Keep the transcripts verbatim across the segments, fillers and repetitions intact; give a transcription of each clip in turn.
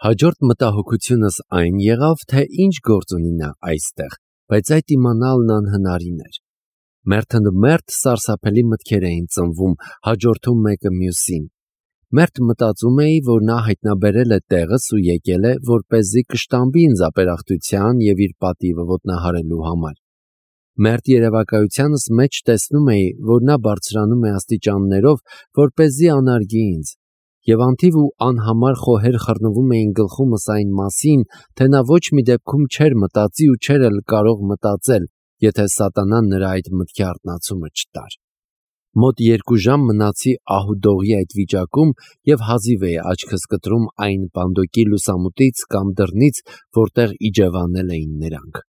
Հաջորդ մտահոգությունս այն եղավ, թե ինչ գործ ունի նա այստեղ, բայց այդ իմանալն անհնարին էր։ Մերթընդմերթ սարսափելի մտքեր էին ծնվում, հաջորդում մեկը մյուսին։ Մերթ մտածում էի, որ նա հայտնաբերել է տեղս ու եկել է, որպեսզի կշտամբի ինձ ապերախտության և իր պատիվը ոտնահարելու համար։ Մերթ երևակայությանս մեջ տեսնում էի, որ նա բարձրանում է աստիճաններով, որպեսզի անարգի ինձ, և անթիվ ու անհամար խոհեր խռնվում էին գլխումս այն մասին, թե նա ոչ մի դեպքում չէր մտածի ու չէր էլ կարող մտածել, եթե սատանան նրա այդ մտքի արթնացումը չտար։ Մոտ երկու ժամ մնացի ահու-դողի այդ վիճակում և հազիվ էի աչքս կտրում այն պանդոկի լուսամուտից կամ դռնից, որտեղ իջևանել էին նրանք։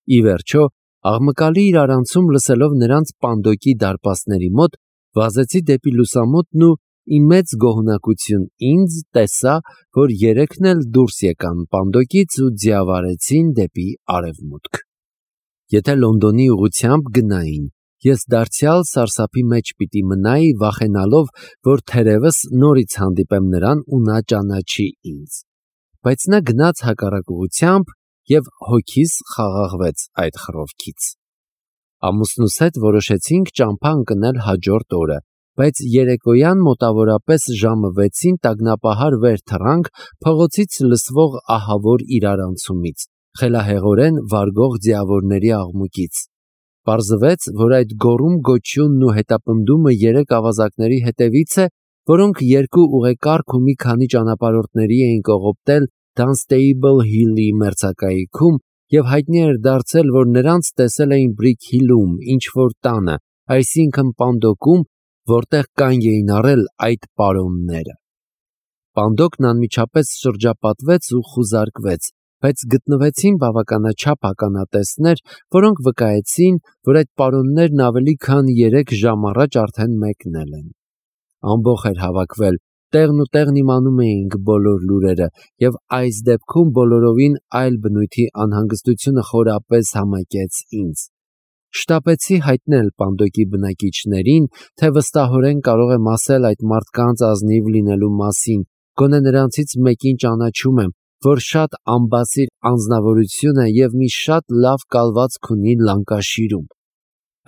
Ի վերջո, աղմկալի իրարանցում լսելով նրանց պանդոկի դարպասների մոտ, վազեցի դեպի լուսամուտն ու ի մեծ գոհունակություն ինձ տեսա, որ երեքն էլ դուրս եկան պանդոկից ու ձիավարեցին դեպի արևմուտք։ Եթե Լոնդոնի ուղղությամբ գնային, ես դարձյալ սարսափի մեջ պիտի մնայի, վախենալով, որ թերևս նորից հանդիպեմ նրան ու նա ճանաչի ինձ։ Բայց նա գնաց հակառակ ուղղությամբ և հոգիս խաղաղվեց այդ խռովքից։ Ամուսնուս հետ որոշեցինք ճամփա ընկնել հաջորդ օրը, բայց երեկոյան մոտավորապես ժամը վեցին տագնապահար վեր թռանք փողոցից լսվող ահավոր իրարանցումից, խելահեղորեն վարգող ձիավորների աղմուկից։ Պարզվեց, որ այդ գոռում-գոչյունն ու հետապնդումը երեք ավազակների հետևից է, որոնք երկու ուղեկարգ ու մի քանի ճանապարհորդների էին կողոպտել Dunstable Hill-ի մերձակայքում, և հայտնի էր դարձել, որ նրանց տեսել էին Brick Hill-ում ինչ-որ տանը, այսինքն պանդոկում, որտեղ կանգ էին առել այդ պարոնները։ Պանդոկն անմիջապես շրջապատվեց ու խուզարկվեց, բայց գտնվեցին բավականաչափ ականատեսներ, որոնք վկայեցին, որ այդ պարոններն ավելի քան երեք ժամ առաջ արդեն մեկնել են։ Ամբոխ էր հավաքվել, տեղն ու տեղն իմանում էինք բոլոր լուրերը, և այս դեպքում բոլորովին այլ բնույթի անհանգստությունը խորապես համակեց ինձ։ Շտապեցի հայտնել պանդոկի բնակիչներին, թե վստահորեն կարող եմ ասել այդ մարդկանց ազնիվ լինելու մասին, գոնե նրանցից մեկին ճանաչում եմ, որ շատ ամբասիր անձնավորություն է և մի շատ լավ կալվածք ունի Լանկաշիրում։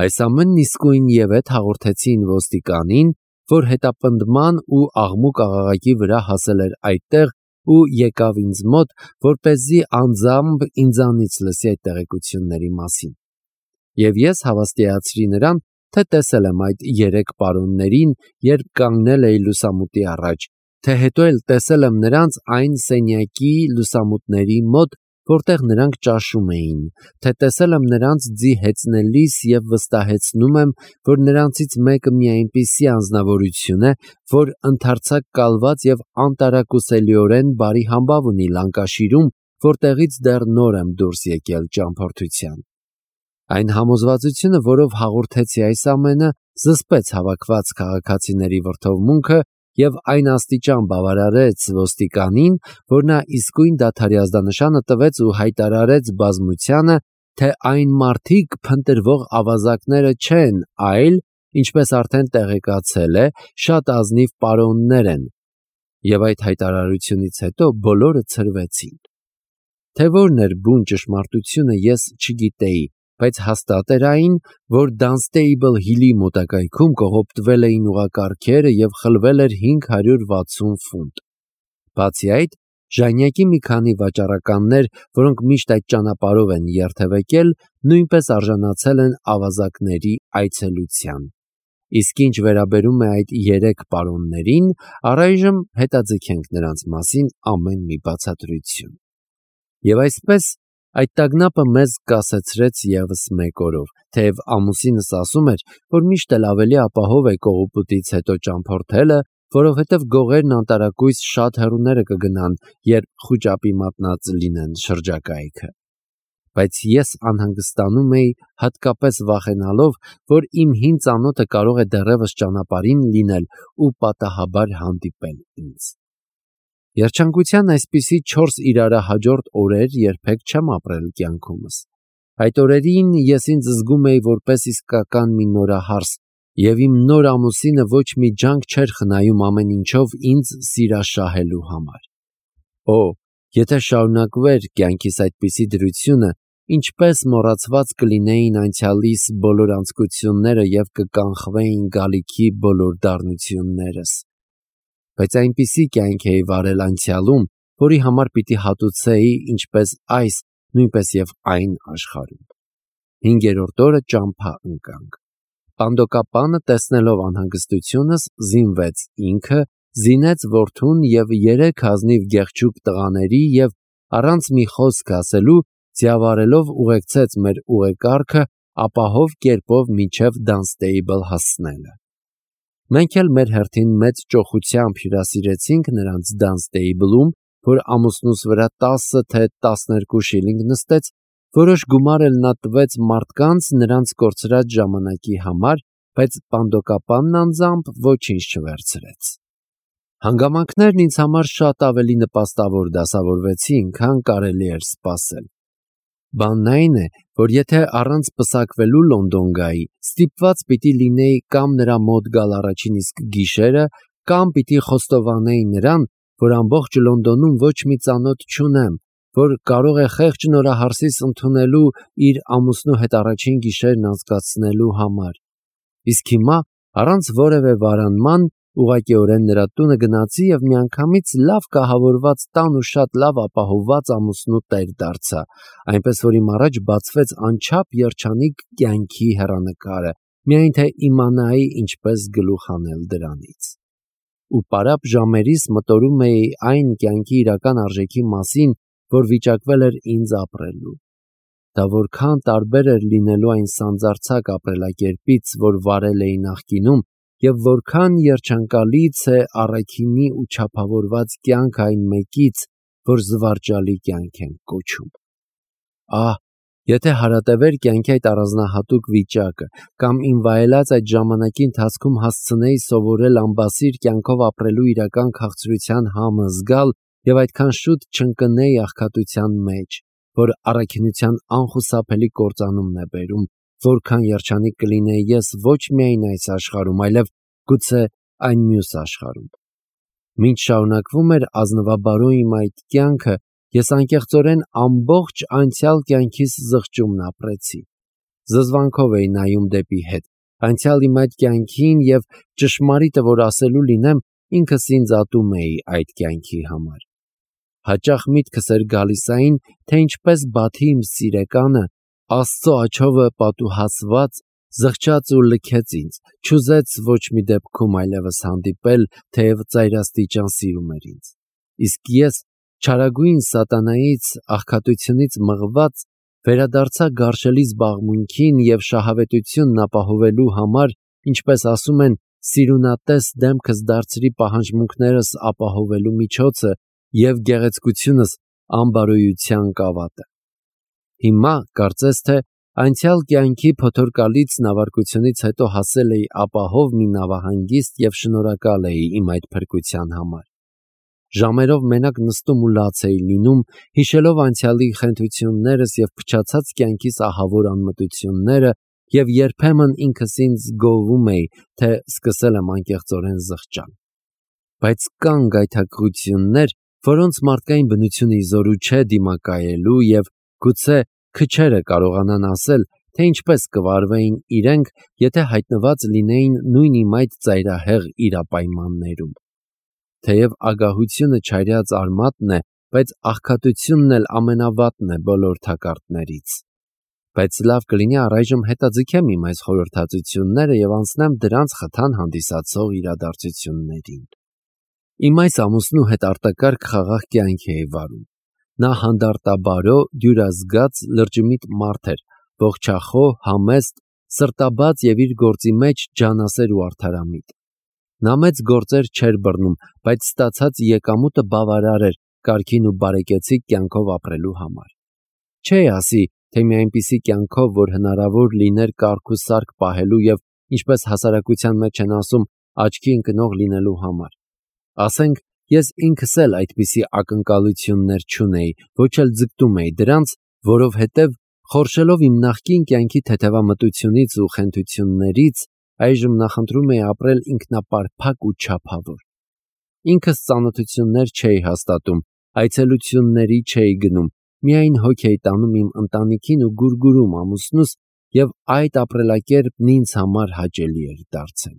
Այս ամենն իսկույն ևեթ հաղորդեցին ոստիկանին, որ հետապնդման ու աղմուկ-աղաղակի վրա հասել էր այդտեղ ու եկավ ինձ մոտ, որպեսզի անձամբ ինձանից լսի այդ տեղեկությունների մասին։ Եվ ես հավաստիացրի նրան, թե տեսել եմ այդ երեք պարոններին, երբ կանգնել էի լուսամուտի առաջ, թե հետո էլ տեսել եմ նրանց այն սենյակի լուսամուտների մոտ, որտեղ նրանք ճաշում էին, թե տեսել եմ նրանց ձի հեծնելիս և վստահեցնում եմ, որ նրանցից մեկը մի այնպիսի անձնավորություն է, որ ընդարձակ կալված և անտարակուսելիորեն բարի համբավ ունի Լանկաշիրում, որտեղից դեռ նոր եմ դուրս եկել ճամփորդության։ Այն համոզվածությունը, որով հաղորդեցի այս ամենը, զսպեց հավաքված քաղաքացիների վրդովմունքը և այն աստիճան բավարարեց ոստիկանին, որ նա իսկույն դադարի ազդանշանը տվեց ու հայտարարեց բազմությանը, թե այն մարդիկ փնտրվող ավազակները չեն, այլ, ինչպես արդեն տեղեկացել է, շատ ազնիվ պարոններ են, և այդ հայտարարությունից հետո բոլորը ցրվեցին։ Թե որն էր բուն ճշմարտությունը, ես չգիտեի, բայց հաստատ էր այն, որ Dunstable Hill-ի մոտակայքում կողոպտվել էին ուղղակարգերը և խլվել էր հինգ հարյուր վաթսուն ֆունտ։ Բացի այդ, ժանյակի մի քանի վաճառականներ, որոնք միշտ այդ ճանապարհով են երթևեկել, նույնպես արժանացել են ավազակների այցելության։ Իսկ ինչ վերաբերում է այդ երեք պարոններին, առայժմ հետաձգենք նրանց մասին ամեն մի բացատրություն։ Եվ այսպես, այդ տագնապը մեզ կասեցրեց ևս մեկ օրով, թեև ամուսինս ասում էր, որ միշտ էլ ավելի ապահով է կողոպուտից հետո ճամփորդելը, որովհետև գողերն անտարակույս շատ հեռուները կգնան, երբ խուճապի մատնած լինեն շրջակայքը։ Բայց ես անհանգստանում էի, հատկապես վախենալով, որ իմ հին ծանոթը կարող է դեռևս ճանապարհին լինել ու պատահաբար հանդիպել ինձ։ Երջանկության այսպիսի չորս իրարահաջորդ օրեր երբեք չեմ ապրել կյանքումս։ Այդ օրերին ես ինձ զգում էի որպես իսկական մի նորահարս, և իմ նոր ամուսինը ոչ մի ջանք չէր խնայում ամեն ինչով ինձ սիրաշահելու համար։ Օ, եթե շարունակվեր կյանքիս այդպիսի դրությունը, ինչպես մոռացված կլինեին անցյալիս բոլոր անձկությունները և կկանխվեին գալիքի բոլոր դառնություններս։ Բայց այնպիսի կյանք էի վարել անցյալում, որի համար պիտի հատուցեի ինչպես այս, նույնպես և այն աշխարհում։ Հինգերորդ օրը ճամփա ընկանք։ Պանդոկապանը, տեսնելով անհանգստությունս, զինվեց ինքը, զինեց որդուն և երեք ազնիվ գեղեցիկ տղաների և առանց մի խոսք ասելու ձիավարելով ուղեկցեց մեր ուղեկարգը ապահով կերպով մինչև Դանստեյբլ հասնելը։ Մենք էլ մեր հերթին մեծ ճոխությամբ հյուրասիրեցինք նրանց Դանստեյբլում, որ ամուսնուս վրա տասը թե տասներկու շիլինգ նստեց, որոշ գումար էլ նա տվեց մարդկանց նրանց կորցրած ժամանակի համար, բայց պանդոկապանն անձամբ ոչինչ չվերցրեց։ Հանգամանքներն ինձ համար շատ ավելի նպաստավոր դասավորվեցին, քան կարելի էր սպասել։ Բանն այն է, որ եթե առանց պսակվելու Լոնդոն գայի, ստիպված պիտի լինեի կամ նրա մոտ գալ առաջին իսկ գիշերը, կամ պիտի խոստովանեի նրան, որ ամբողջ Լոնդոնում ոչ մի ծանոթ չունեմ, որ կարող է խեղճ նորահարսիս ընդունելու իր ամուսնու հետ առաջին գիշերն անցկացնելու համար։ Իսկ հիմա, առանց որևէ վարանման, ուղղակիորեն նրա տունը գնացի և միանգամից լավ կահավորված տան ու շատ լավ ապահովված ամուսնու տեր դարձա, այնպես որ իմ առաջ բացվեց անչափ երջանիկ կյանքի հեռանկարը, միայն թե իմանայի ինչպես գլուխ հանել դրանից։ Ու պարապ ժամերիս մտորում էի այն կյանքի իրական արժեքի մասին, որ վիճակվել էր ինձ ապրելու։ Դա որքան տարբեր էր լինելու այն սանձարձակ ապրելակերպից, որ վարել էի նախկինում, և որքան երջանկալից է առաքինի ու չափավորված կյանք այն մեկից, որ զվարճալի կյանք են կոչում։ Ահ, եթե հարատևեր կյանքի այդ առանձնահատուկ վիճակը, կամ իմ վայելած այդ ժամանակի ընթացքում հասցնեի սովորել ամբասիր կյանքով ապրելու իրական քաղցրության համը զգալ և այդքան շուտ չընկնեի աղքատության մեջ, որ առաքինության անխուսափելի կործանումն է բերում, որքան երջանիկ կլինեի ես ոչ միայն այս աշխարհում, այլև գուցե այն մյուս աշխարհում։ Մինչ շարունակվում էր ազնվաբարո իմ այդ կյանքը, ես անկեղծորեն ամբողջ անցյալ կյանքիս զղջումն ապրեցի։ Զզվանքով էի նայում դեպի հետ, անցյալ իմ այդ կյանքին և ճշմարիտը որ ասելու լինեմ, ինքս ինձ ատում էի այդ կյանքի համար։ Հաճախ միտքս էր գալիս այն, թե ինչպես Բաթի իմ սիրեկանը, Աստծո աջովը պատուհասված, զղջաց ու լքեց ինձ, չուզեց ոչ մի դեպքում այլևս հանդիպել, թեև ծայրաստիճան սիրում էր ինձ։ Իսկ ես, չարագույն սատանայից, աղքատությունից մղված, վերադարձա գարշելի զբաղմունքին և շահավետությունն ապահովելու համար, ինչպես ասում են, սիրունատես դեմքս դարձրի պահանջմունքներս ապահովելու միջոցը և գեղեցկությունս անբարոյության կավատը։ Հիմա, կարծես թե, անցյալ կյանքի փոթորկալից նավարկությունից հետո հասել էի ապահով մի նավահանգիստ և շնորհակալ էի իմ այդ փրկության համար։ Ժամերով մենակ նստում ու լաց էի լինում, հիշելով անցյալի խենթություններս և փչացած կյանքիս ահավոր անմտությունները, և երբեմն ինքս ինձ գովում էի, թե սկսել եմ անկեղծորեն զղջալ։ Բայց կան գայթակղություններ, որոնց մարդկային բնությունը ի զորու չէ դիմակայելու և գուցե քչերը կարողանան ասել, թե ինչպես կվարվեին իրենք, եթե հայտնված լինեին նույն իմ այդ ծայրահեղ իրապայմաններում։ Թեև ագահությունը չարյաց արմատն է, բայց աղքատությունն էլ ամենավատն է բոլոր թակարդներից։ Բայց լավ կլինի առայժմ հետաձգեմ իմ այս խորհրդածությունները և անցնեմ դրանց խթան հանդիսացող իրադարձություններին։ Իմ այս ամուսնու հետ արտակարգ խաղաղ կյանք էի վարում։ Նա հանդարտաբարո, դյուրազգաց, լրջիմիտ մարդ էր, ողջախոհ, համեստ, սրտաբաց և իր գործի մեջ ջանասեր ու արդարամիտ։ Նա մեծ գործեր չէր բռնում, բայց ստացած եկամուտը բավարար էր կարգին ու բարեկեցիկ կյանքով ապրելու համար։ Չէի ասի, թե մի այնպիսի կյանքով, որ հնարավոր լիներ կարգ ու սարք պահելու և, ինչպես հասարակության մեջ են ասում, աչքի ընկնող լինելու համար։ Ասենք, ես ինքս էլ այդպիսի ակնկալություններ չունեի, ոչ էլ ձգտում էի դրանց, որովհետև, խորշելով իմ նախկին կյանքի թեթևամտությունից ու խենթություններից, այժմ նախընտրում էի ապրել ինքնապարփակ ու չափավոր։ Ինքս ծանոթություններ չէի հաստատում, Այցելությունների չէի գնում, միայն հոգ էի տանում իմ ընտանիքին ու գուրգուրում ամուսնուս, և այդ ապրելակերպն ինձ համար հաճելի էր դարձել։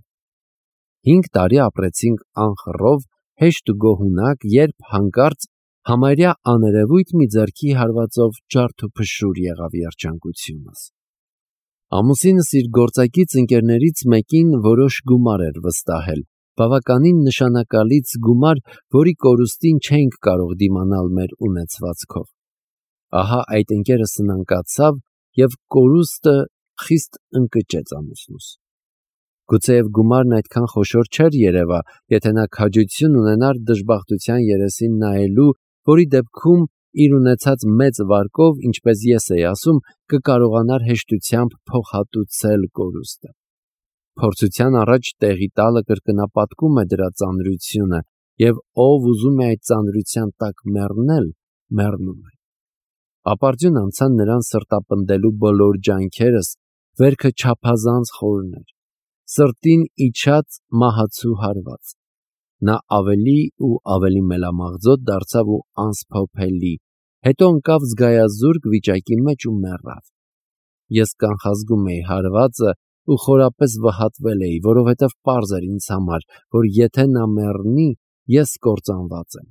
Հինգ տարի ապրեցինք անխռով, հեշտ ու գոհունակ, երբ հանկարծ համարյա աներևույթ մի ձեռքի հարվածով ջարդ ու փշուր եղավ երջանկությունս։ Ամուսինս իր գործակից ընկերներից մեկին որոշ գումար էր վստահել, բավականին նշանակալից գումար, որի կորուստին չէինք կարող դիմանալ մեր ունեցվածքով։ Ահա այդ ընկերը սնանկացավ և կորուստը խիստ ընկճեց ամուսնուս։ Գուցեև գումարն այդքան խոշոր չէր երևա, եթե նա քաջություն ունենար դժբախտության երեսին նայելու, որի դեպքում իր ունեցած մեծ վարկով, ինչպես ես էի ասում, կկարողանար հեշտությամբ փոխհատուցել կորուստը։ Փորձության առաջ տեղի տալը կրկնապատկում է դրա ծանրությունը, և ով ուզում է այդ ծանրության տակ մեռնել, մեռնում է։ Ապարդյուն անցան նրան սրտապնդելու բոլոր ջանքերս, վերքը չափազանց խորն էր, սրտին իջած մահացու հարված։ Նա ավելի ու ավելի մելամաղձոտ դարձավ ու անսփոփելի, հետո ընկավ զգայազուրկ վիճակի մեջ ու մեռավ։ Ես կանխազգում էի հարվածը ու խորապես վհատվել էի, որովհետև պարզ էր ինձ համար, որ եթե նա մեռնի, ես կործանված եմ։